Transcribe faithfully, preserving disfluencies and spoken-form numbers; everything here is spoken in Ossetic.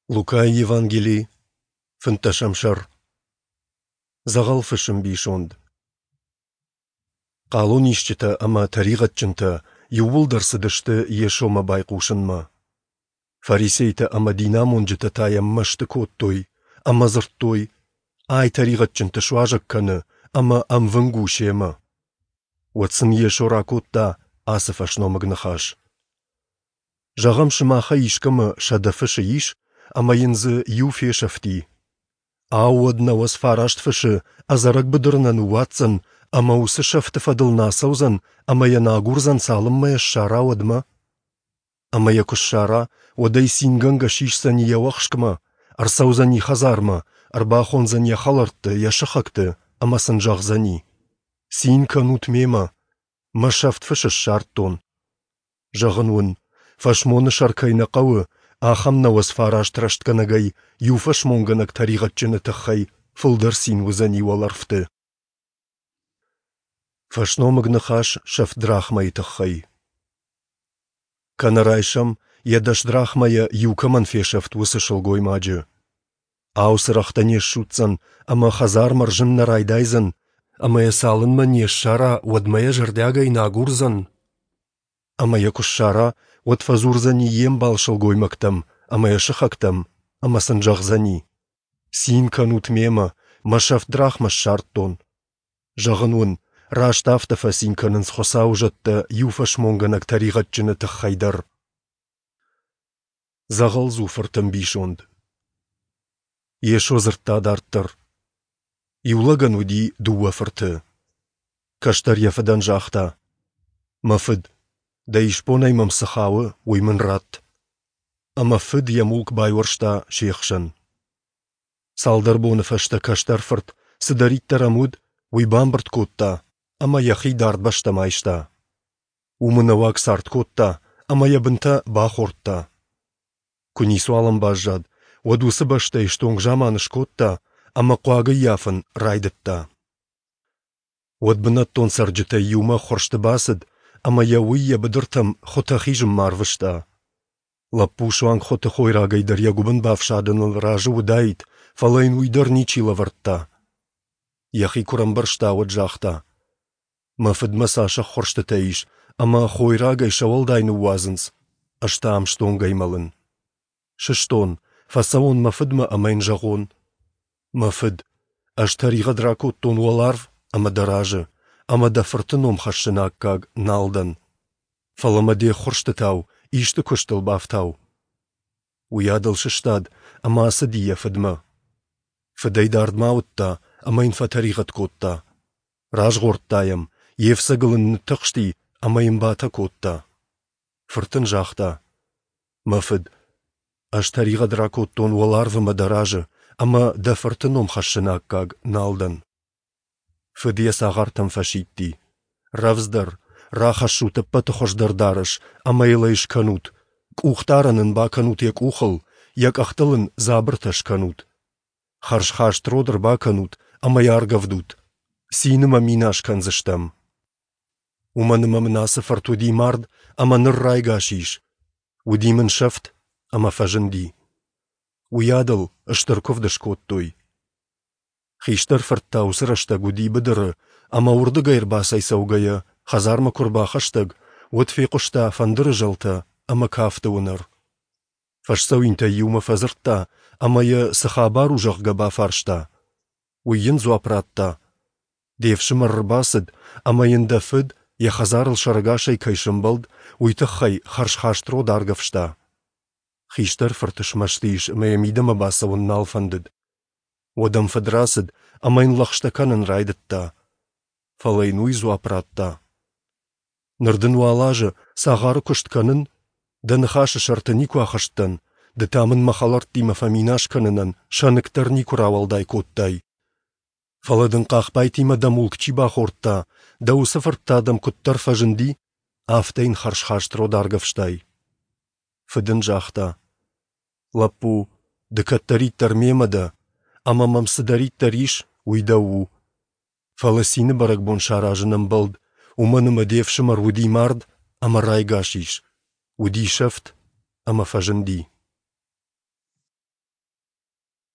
Лукайы Евангели, фынддӕсӕм сӕр. Дзӕгъӕл фысы мбисонд. Хъалонисджытӕ ӕмӕ тӕригъӕдджынтӕ иууылдӕр цыдысты Йесомӕ байхъусынмӕ. Фарисейтӕ ӕмӕ динамонджытӕ та йӕм мӕсты кодтой ӕмӕ дзырдтой: Ай тӕригъӕдджынты суазӕг кӕны ӕмӕ ӕмвынг у семӕ. Уӕд сын Йесо ракодта ацы фӕсномыг ныхас: Зӕгъӕм, сымахӕй искӕмӕ сӕдӕ фысы ис, ӕмӕ йын дзы иу фесӕфти. Ау, уӕд нӕуӕдз фараст фысы ӕдзӕрӕг быдыры нӕ ныууадздзӕн ӕмӕ уыцы сӕфты фӕдыл нӕ ацӕудзӕн ӕмӕ йӕ нӕ агурдзӕн, цалынмӕ йӕ ссара, уӕдмӕ? Ӕмӕ йӕ куы ссара, уӕд ӕй цингӕнгӕ сисдзӕни йӕ уӕхскмӕ, ӕрцӕудзӕни хӕдзармӕ, ӕрбахондзӕн йӕ хӕлӕртты, йӕ сыхӕгты ӕмӕ сын зӕгъдзӕни: «Цин кӕнут мемӕ, мӕ сӕфт фысы ссардтон». Зӕгъын уын, фӕсмоны сӕр кӕй нӕ хъӕуы, ахӕм нӕуӕдз фараст рӕстгӕнӕгӕй иу фӕсмонгӕнӕг тӕригъӕдджыны тыххӕй фылдӕр цин уыдзӕни уӕлӕрвты. Фӕсномыг ныхас сӕфт драхмӕйы тыххӕй. Кӕнӕ райсӕм, йӕ дӕс драхмӕйӕ иу кӕмӕн фесӕфт, уыцы сылгоймаджы. Ау, цырӕгътӕ не ссудздзӕн ӕмӕ хӕдзар мӕрзын нӕ райдайдзӕн, ӕмӕ йӕ цалынмӕ не ссара, уӕдмӕ йӕ зӕрдиагӕй нӕ агурдзӕн? Ӕмӕ йӕ куы ссара, уӕд фӕдзурдзӕни йе мбал сылгоймӕгтӕм ӕмӕ йӕ сыхӕгтӕм ӕмӕ сын зӕгъдзӕни: «Цин кӕнут мемӕ, мӕ сӕфт драхмӕ ссардтон». Зӕгъын уын, раст афтӕ фӕцин кӕнынц Хуыцауы зӕдтӕ иу фӕсмонгӕнӕг тӕригъӕдджыны тыххӕй дӕр. Дзӕгъӕлдзу фырты ӕмбисонд. Йесо дзырдта дарддӕр. Иу лӕгӕн уыди дыууӕ фырты. Кӕстӕр йӕ фыдӕн загъта: «Мӕ фыд, дӕ исбонӕй мӕм цы хауы, уый мын ратт». Ӕмӕ фыд йӕ мулк байуӕрста се хсӕн. Цалдӕр боны фӕстӕ кӕстӕр фырт, цыдӕриддӕр ӕм уыд, уый бамбырд кодта ӕмӕ йӕхи дард бӕстӕм айста. Уым ӕнӕуаг цард кодта ӕмӕ йӕ бынтӕ бахордта. Куы ницуал ӕм баззад, уӕд уыцы бӕстӕйы стонг заман скодта ӕмӕ хъуаг ӕййафын райдыдта. Уӕд бынӕттон цӕрджытӕй иумӕ ӕххуырсты бацыд ӕмӕ йӕ уый йӕ быдыртӕм хуытӕ хизынмӕ арвыста. Лӕппу суанг хуыты хойрагӕй дӕр йӕ гуыбын бафсадыныл разы уыдаид, фӕлӕ йын уый дӕр ничи лӕвӕрдта. Йӕхи куы рӕмбӕрста, уӕд загъта: «Мӕ фыдмӕ цас ӕххуырстытӕ ис, ӕмӕ хойрагӕй сӕ уӕлдай ныууадзынц, ӕз та ам стонгӕй мӕлын. Сыстон, фӕцӕуон мӕ фыдмӕ ӕмӕ йын зӕгъон: Мӕ фыд, ӕз тӕригъӕд ракодтон уӕларв ӕмӕ дӕ разы, ӕмӕ дӕ фырты ном хӕссыны аккаг нал дӕн. Фӕлӕ мӕ де ххуырстытау исты куыстыл бафтау». Уыйадыл сыстад ӕмӕ ацыди йӕ фыдмӕ. Фыд ӕй дардмӕ ауыдта ӕмӕ йын фӕтӕригъӕд кодта. Разгъордта йӕм, йе фцӕгыл ын ныттыхсти ӕмӕ йын батӕ кодта. Фырт ын загъта: «Мӕ фыд, ӕз тӕригъӕд ракодтон уӕларвы мӕ дӕ разы, ӕмӕ дӕ фырты ном хӕссыны аккаг нал дӕн». Фыд йӕ цагъартӕм фӕсидти: «Рӕвдздӕр, рахӕссут ӕппӕты хуыздӕр дарӕс ӕмӕ йыл ӕй скӕнут, къухдарӕн ын бакӕнут йӕ къухыл, йӕ къӕхтыл ын дзабыртӕ скӕнут. Хӕрзхаст род ӕрбакӕнут ӕмӕ йӕ аргӕвдут. Цины мӕ минас кӕндзыстӕм. Уымӕн ӕмӕ мын ацы фырт уыди мард ӕмӕ ныр райгас ис, уыди мын сӕфт ӕмӕ фӕзынди». Уыйадыл стыр куывд скодтой. Хистӕр фырт та уыцы рӕстӕг уыди быдыры ӕмӕ уырдыгӕй ӕрбацӕйцӕугӕйӕ хӕдзармӕ куы ӕрбахӕстӕг, уӕд фехъуыста фӕндыры зӕлтӕ ӕмӕ кафты уынӕр. Фӕсдзӕуинтӕй иумӕ фӕдзырдта ӕмӕ йӕ, цы хабар у, зӕгъгӕ, бафарста. Уый йын дзуапп радта: «Де фсымӕр ӕрбацыд, ӕмӕ йын дӕ фыд йӕ хӕдзарыл сӕрӕгасӕй кӕй сӕмбӕлд, уый тыххӕй хӕрзхаст род аргӕвста». Хистӕр фырт смӕсты ис ӕмӕ йӕ мидӕмӕ бацӕуын нал фӕндыд. Уӕд ӕм фыд рацыд ӕмӕ йын лӕгъстӕ кӕнын райдыдта. Фӕлӕ йын уый дзуапп радта: «Ныр дын уал азы цагъары куыст кӕнын, дӕ ныхасы сӕрты никуы ахызтӕн, ды та мын мӕ хӕлӕрттимӕ фӕминас кӕнынӕн сӕныкк дӕр никуы рауӕлдай кодтай. Фӕлӕ дын хъахбайтимӕ дӕ мулк чи бахордта, дӕ уыцы фырт та дӕм куыддӕр фӕзынди, афтӕ йын хӕрзхаст род аргӕвстай». Фыд ын загъта: «Лӕппу, ды кӕддӕриддӕр мемӕ дӕ, ӕмӕ мӕм цыдӕриддӕр ис, уый дӕу у. Фӕлӕ цины бӕрӕгбон саразын ӕмбӕлд, уымӕн ӕмӕ де фсымӕр уыди мард ӕмӕ райгас ис, уыди сӕфт ӕмӕ фӕзынди».